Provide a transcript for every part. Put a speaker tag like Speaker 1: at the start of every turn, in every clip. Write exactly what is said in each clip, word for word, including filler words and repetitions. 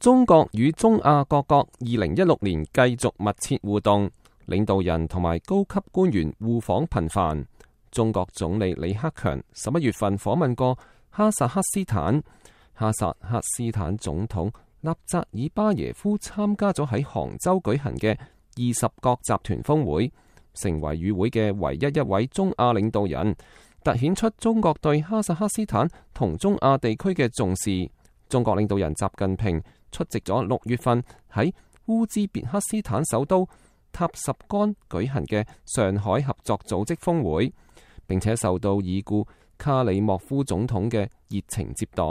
Speaker 1: 中國與中亞各國二零一六年繼續密切互動，領導人同埋高級官員互訪頻繁。中國總理李克強十一月份訪問過哈薩克斯坦，哈薩克斯坦總統納扎爾巴耶夫參加咗喺杭州舉行嘅二十國集團峰會，成為與會嘅唯一一位中亞領導人，凸顯出中國對哈薩克斯坦同中亞地區嘅重視。中國領導人習近平出席咗六月份喺烏茲別克斯坦首都塔什干舉行嘅上海合作組織峰會，並且受到已故卡里莫夫總統嘅熱情接待。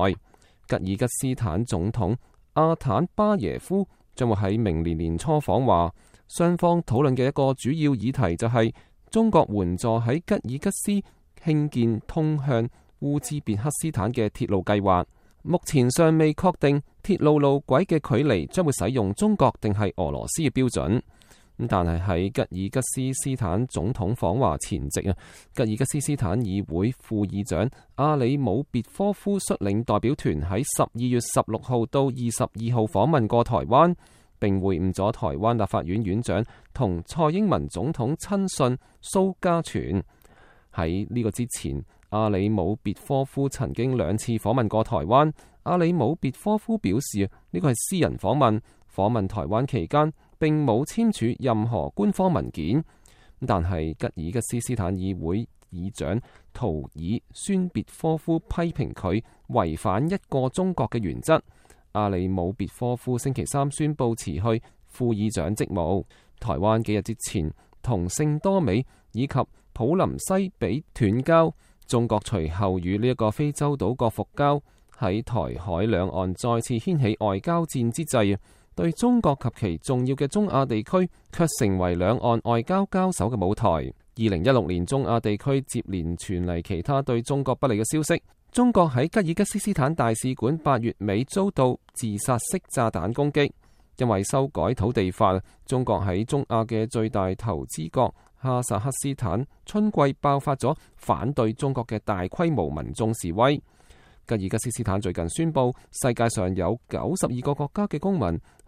Speaker 1: 吉爾吉斯坦總統阿坦巴耶夫將會喺明年年初訪華，雙方討論嘅一個主要議題就係中國援助喺吉爾吉斯興建通向烏茲別克斯坦嘅鐵路計劃。目前尚未確定鐵路路軌嘅距離將會使用中國定係俄羅斯嘅標準。但係喺吉爾吉斯斯坦總統訪華前夕啊，吉爾吉斯斯坦議會副議長阿里姆別科夫率領代表團喺十二月十六號到二十二號訪問過台灣，並會晤咗台灣立法院院長同蔡英文總統親信蘇嘉全。喺呢個之前，阿里姆別科夫曾經兩次訪問過台灣。阿里姆別科夫表示，呢個係私人訪問，訪問台灣期間並冇簽署任何官方文件。但係吉爾吉斯斯坦議會議長圖爾宣別科夫批評佢違反一個中國嘅原則。阿里姆別科夫星期三宣布辭去副議長職務。台灣幾日之前同聖多美以及普林西比斷交，中國隨後與呢一個非洲島國復交，喺台海兩岸再次掀起外交戰之際，對中國及其重要嘅中亞地區卻成為兩岸外交交手嘅舞台。二零一六年中亞地區接連傳嚟其他對中國不利嘅消息。中國喺吉爾吉斯斯坦大使館八月尾遭到自殺式炸彈攻擊，因為修改土地法，中國喺中亞嘅最大投資國哈薩克斯坦春季爆發咗反對中國嘅大規模民眾示威。吉爾吉斯斯坦最近宣布，世界上有九十二個國家嘅公民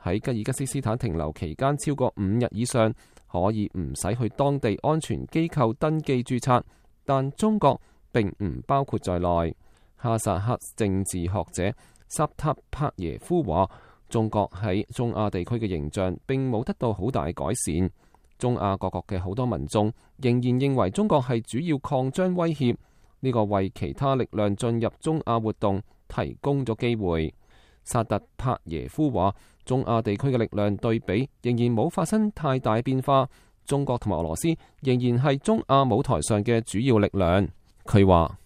Speaker 1: 喺吉爾吉斯斯坦停留期間超過五日以上，可以唔使去當地安全機構登記註冊，但中國並唔包括在內。哈薩克政治學者薩塔帕耶夫話，中國喺中亞地區嘅形象並冇得到好大改善。中亞各國嘅好多民眾仍然認為中國係主要擴張威脅，呢個為其他力量進入中亞活動提供咗機會。薩特帕耶夫話，中亞地區嘅力量對比仍然冇發生太大變化，中國同埋俄羅斯仍然係中亞舞台上嘅主要力量。佢話，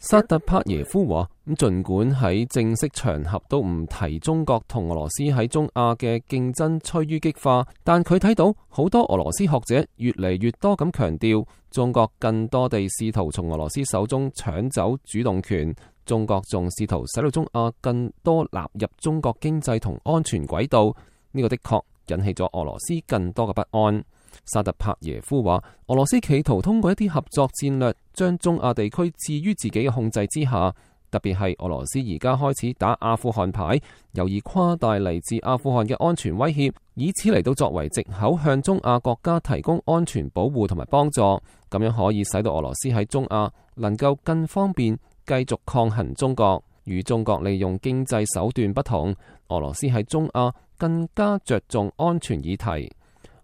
Speaker 1: 薩特帕耶夫話，咁盡管喺正式場合都唔提中國同俄羅斯喺中亞嘅競爭趨於激化，但佢睇到好多俄羅斯學者越嚟越多咁強調，中國更多地試圖從俄羅斯手中搶走主動權，中國仲試圖使到中亞更多納入中國經濟同安全軌道，呢個的確引起咗俄羅斯更多嘅不安。薩特帕耶夫話，俄羅斯企圖通過一啲合作戰略，將中亞地區置於自己嘅控制之下。特別係俄羅斯而家開始打阿富汗牌，有意誇大嚟自阿富汗嘅安全威脅，以此嚟到作為藉口向中亞國家提供安全保護同埋幫助，咁樣可以使到俄羅斯喺中亞能夠更方便繼續抗衡中國。與中國利用經濟手段不同，俄羅斯喺中亞更加着重安全議題。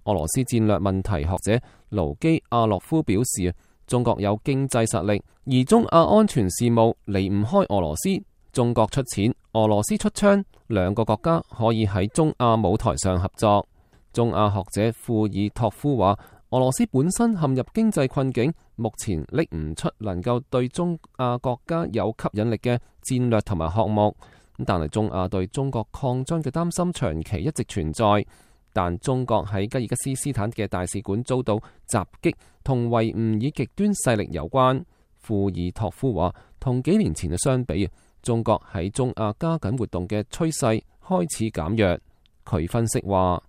Speaker 1: 俄羅斯戰略問題學者盧基亞洛夫表示，中國有經濟實力，而中亞安全事務離唔開俄羅斯。中國出錢，俄羅斯出槍，兩個國家可以喺中亞舞台上合作。中亞學者庫爾托夫話，俄羅斯本身陷入經濟困境，目前拎唔出能夠對中亞國家有吸引力嘅戰略同埋項目。但係中亞對中國擴張嘅擔心長期一直存在。但中國喺吉爾吉斯斯坦嘅大使館遭到襲擊，同維吾爾極端勢力有關。庫爾托夫話，同幾年前嘅相比，中國喺中亞加緊活動嘅趨勢開始減弱。佢分析話，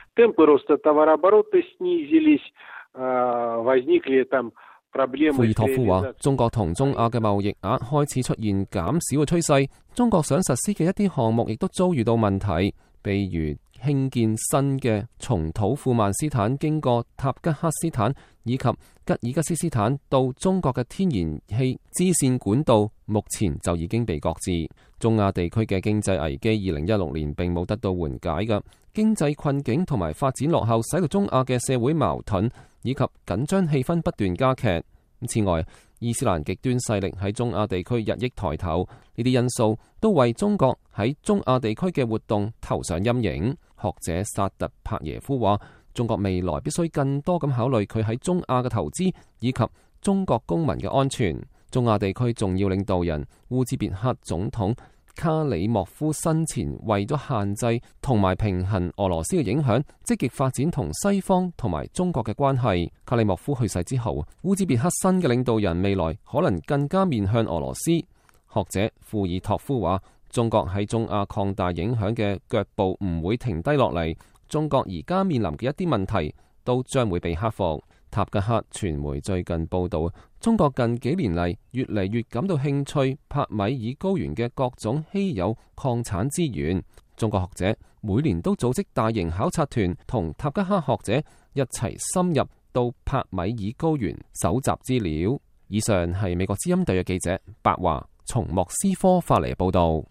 Speaker 1: 庫爾托夫話：中國同中亞嘅貿易額開始出現減少嘅趨勢，中國想實施嘅一啲項目亦都遭遇到問題，譬如興建新嘅從土庫曼斯坦經過塔吉克斯坦以及吉爾吉斯斯坦到中國嘅天然氣支線管道，目前就已經被擱置。中亞地區嘅經濟危機二零一六年並冇得到緩解嘅，經濟困境同埋發展落後，使到中亞嘅社會矛盾以及緊張氣氛不斷加劇。此外，伊斯蘭極端勢力喺中亞地區日益抬頭，呢啲因素都為中國喺中亞地區嘅活動投上陰影。學者薩特帕耶夫話：中國未來必須更多咁考慮佢喺中亞嘅投資以及中國公民嘅安全。中亞地區重要領導人烏茲別克總統卡里莫夫生前為咗限制同埋平衡俄羅斯嘅影響，積極發展同西方同埋中國嘅關係。卡里莫夫去世之後，烏茲別克新嘅領導人未來可能更加面向俄羅斯。學者庫爾托夫話：中國喺中亞擴大影響嘅腳步唔會停低落嚟，中國而家面臨嘅一啲問題都將會被克服。塔吉克傳媒最近報道，中國近幾年嚟越嚟越感到興趣帕米爾高原嘅各種稀有礦產資源。中國學者每年都組織大型考察團，同塔吉克學者一齊深入到帕米爾高原搜集資料。以上係美國之音特約記者白華從莫斯科發嚟報道。